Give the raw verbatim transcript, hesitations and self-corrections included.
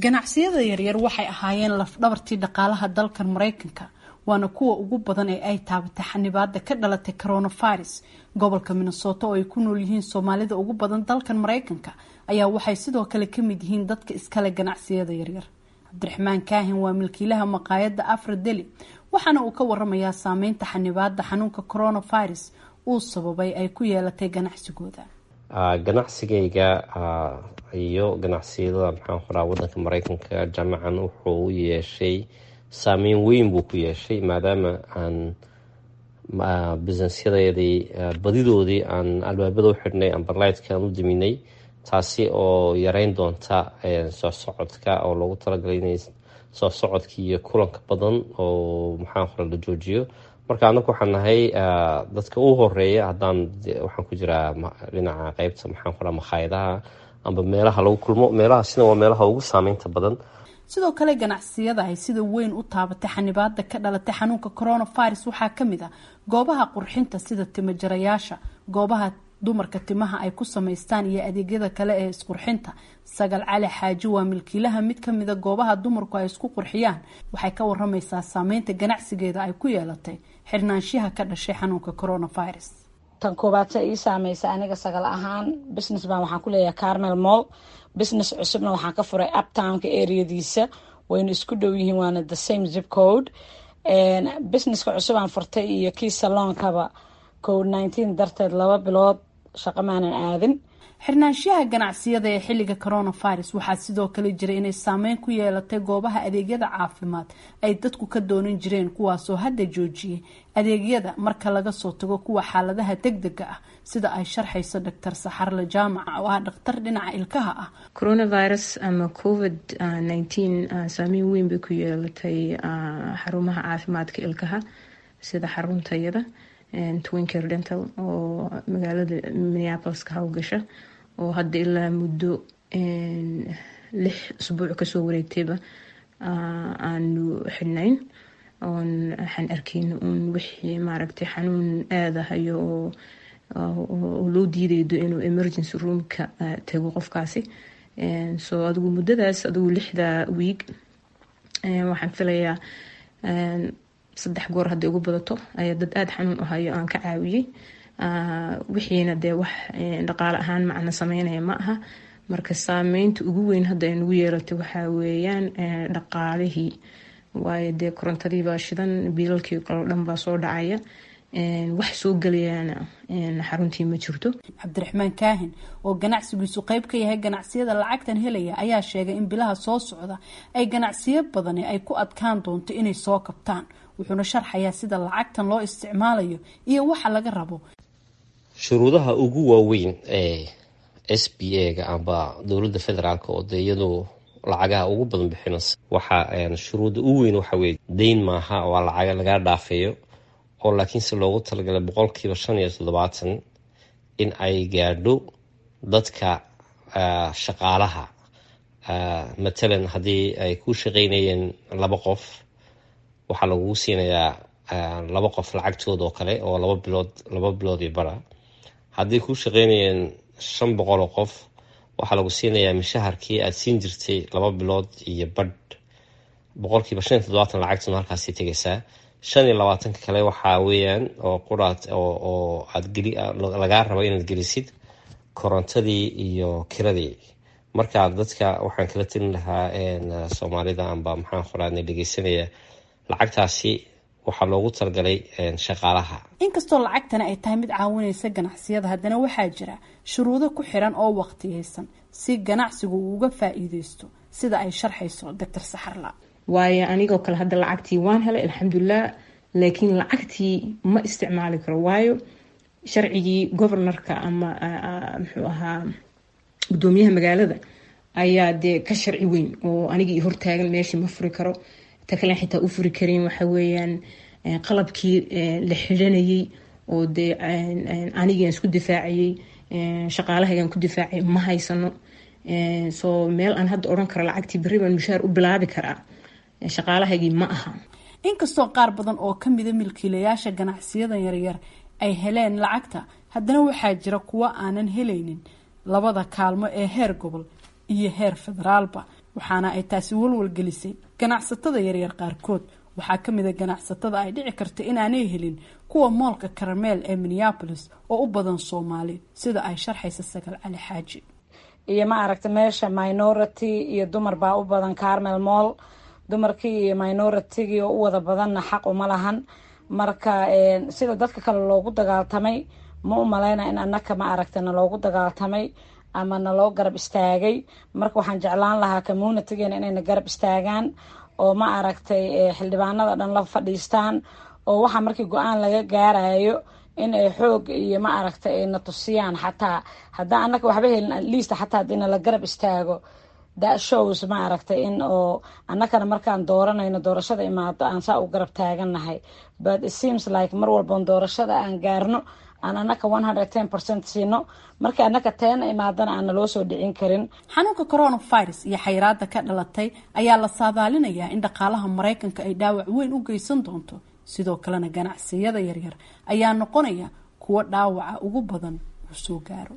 Ganacsiyada yaryar waxay ahaayeen lafdhabartii dhaqaalaha dalkan Maraykanka, waana kuwa ugu badan ee ay taabatay xanibaada ka dhalatay coronavirus. Gobolka Minnesota oo ay ku nool yihiin Soomaalida ugu badan dalkan Maraykanka ayaa waxay sidoo kale kamid yihiin dadka iskale ganacsiyada yaryar. Cabdiraxmaan Kaahin waa milkiilaha maqaayadda Afra Deli, waxaana uu ka waramayaa saameynta xanibaada xanuunka coronavirus uu sababay ay ku yeelatay ganacsigooda. Ganacsigayga iyo ganacsiyada, maxaan qoraa, wadanka Mareykanka jaamacan wuxuu u yeeshay saameyn weyn buu ku yeeshay, maadaama aan businessyadeedii badidoodii aan albaabada u xidhnay amba lightka aan u daminay, taasi oo yareyn doonta soo socodka oo loogu talagalay inay soo socodka iyo kulanka badan oo, maxaan qora, la joojiyo. Marka anaku waxaan nahay dadka u horeeya. Haddaan waxaan ku jiraa dhinaca qeybta, maxaan qoraa, makhaayadaha amba meelaha lagu kulmo. Meelahaasina waa meelaha ugu saameynta badan. Sidoo kale ganacsiyada ay sida weyn u taabatay xanibaada ka dhalatay xanuunka coronavirus waxaa kamid ah goobaha qurxinta sida timajarayaasha, goobaha dumarka timaha ay ku samaystaan iyo adeegyada kale ee isqurxinta. Sagal Cali Xaaji waa milkiilaha mid kamida goobaha dumarku ay isku qurxiyaan. Waxay ka waramaysaa saameynta ganacsigeeda ay ku yeelatay xirnaanshiha ka dhashay xanuunka coronavirus. Tan koobaad se ii saameysa aniga Sagal ahaan, business baan waxaan ku leeyahay Carmel Mall. Business cusubna waxaan ka furay Uptownka areadiisa, wayna isku dhow yihiin, waana the same zip code. Businesska cusub aan furtay iyo kii saloonkaba COVID nineteen darteed laba bilood shaqo maanan aadin. Xirnaanshiyaha ganacsiyada ee xilliga coronavirus waxaa sidoo kale jiray inay saameyn ku yeelatay goobaha adeegyada caafimaad ay dadku ka doonan jireen, kuwaasoo hadda joojiyay adeegyada marka laga soo tago kuwa xaaladaha degdega ah, sida ay sharxayso Doctor Saxarle Jaamaca oo ah dhakhtar dhinaca ilkaha ah. Coronavirus ama COVID nineteen saameyn weyn bay ku yeelatay xarumaha caafimaadka ilkaha, sida xaruntayada Twincare Dental oo magaalada Minneapolis ka howlgasha, oo hadda ilaa muddo lix usbuuc kasoo wareegtayba aanu xidhnayn, oon waxaan arkayna uun wixii, maaragtay, xanuun aadahayo oo oo loo diidaydo inuu emergency roomka tago qofkaasi. So adigu muddadaas, adigu lixda week, waxaan filayaa saddex goor hadday ugu badato ayaa dad aada xanuun u hayo aan ka caawiyey. Wixiina dee wax dhaqaale ahaan macna sameynaya ma aha. Marka saameynta ugu weyn hadda ay nagu yeelatay waxaa weeyaan dhaqaalihii, waayo dee korontadii baa shidan, biilalkii kaloo dhan baa soo dhacaya, wax soo gelayaana xaruntii ma jirto. Cabdiraxmaan Kaahin oo ganacsigiisu qeyb ka yahay ganacsiyada lacagtan helaya ayaa sheegay in bilaha soo socda ay ganacsiyo badani ay ku adkaan doonto inay soo kabtaan. Wuxuuna sharxayaa sida lacagtan loo isticmaalayo iyo waxa laga rabo. Shuruudaha ugu waaweyn ee S B A-ga amba dowladda federaalka, oo dee iyadu lacagaha ugu badan bixinaysa, waxa shuruudda ugu weyn waxa weye deyn maaha, waa lacaga lagaa dhaafeeyo oo laakiinse loogu talagalay boqolkiiba shan iyo toddobaatan in ay gaadho dadka shaqaalaha. Matalan, haddii ay ku shaqeynayeen laba qof, waxaa lagugu siinayaa laba qof lacagtooda oo kale oo laba bilood laba bilood iyo bara. Haddii kuu shaqeynayeen shan boqol oo qof, waxaa lagu siinayaa mishaharkii aada siin jirtay laba bilood iyo badh. Boqolkiiba shan iyo toddobaatan lacagtuna halkaasay tegaysaa. Shan iyo labaatanka kale waxaa weeyaan oo quraad oo aad geli lagaa rabo inaad gelisid korontadii iyo kiradii. Marka dadka waxaan kala telin lahaa Soomaalida amba, maxaan qoraa, dhegeysanaya, lacagtaasi waxaa loogu talagalay shaqaalaha. Inkastoo lacagtani ay tahay mid caawinaysa ganacsiyada, haddana waxaa jira shuruudo ku xiran oo waqtiyeysan si ganacsigu uu uga faa-iideysto, sida ay sharxayso Doctor Saxarla. Waayo anigoo kale hadda lacagtii waan helay, alxamdulilah, laakiin lacagtii ma isticmaali karo, waayo sharcigii governorka ama, muxuu ahaa, gudoomiyaha magaalada ayaa dee ka sharci weyn oo anigii hortaagan, meeshii ma furi karo. Ta kale xitaa u furi karin waxa weeyaan qalabkii la xidhanayay oo dee anigian isku difaacayay, shaqaalahaygan ku difaacay, ma haysano. So meel aan hadda odhan karo lacagtii berri baan mushaar u bilaabi karaa shaqaalahaygii ma aha. Inkastoo qaar badan oo kamida milkiilayaasha ganacsiyadan yaryar ay heleen lacagta, haddana waxaa jira kuwo aanan helaynin labada kaalmo ee heer gobol iyo heer federaalba. Waxaana ay taasi walwalgelisay ganacsatada yaryar qaarkood. Waxaa ka mid a ganacsatada ay dhici karta inaanay helin kuwa moolka Karameel ee Minneapolis oo u badan Soomaali, sida ay sharxaysa Sagal Cali Xaaji. Iyo ma aragta meesha minority iyo dumar baa u badan Carmel Mall. Dumarkii iyo minoritygii oo u wada badanna xaq uma lahan. Marka sida dadka kale loogu dagaaltamay ma u maleyna in annaka ma aragta na loogu dagaaltamay ama naloo garab istaagay. Marka waxaan jeclaan lahaa communitygeena inayna garab istaagaan oo ma aragtay xildhibaanada dhan la fadhiistaan, oo waxa markii go-aan laga gaarayo in ay xoog iyo ma aragtay ay na tusiyaan. Xataa haddaan annaka waxba helin, at least xataa haddii nala garab istaago, that shows ma aragtay in oo annakana markaan dooranayno, doorashada imaado, aan saa u garab taagannahay. But it seems like mar walboon doorashada aan gaarno aan annaka one hundred ten percent siino, markii annaka teena imaadana aan naloo soo dhicin karin. Xanuunka coronavirus iyo xayiraada ka dhalatay ayaa la saadaalinayaa in dhaqaalaha Maraykanka ay dhaawac weyn u geysan doonto. Sidoo kalena ganacsiyada yaryar ayaa noqonaya kuwo dhaawaca ugu badan uu soo gaaro.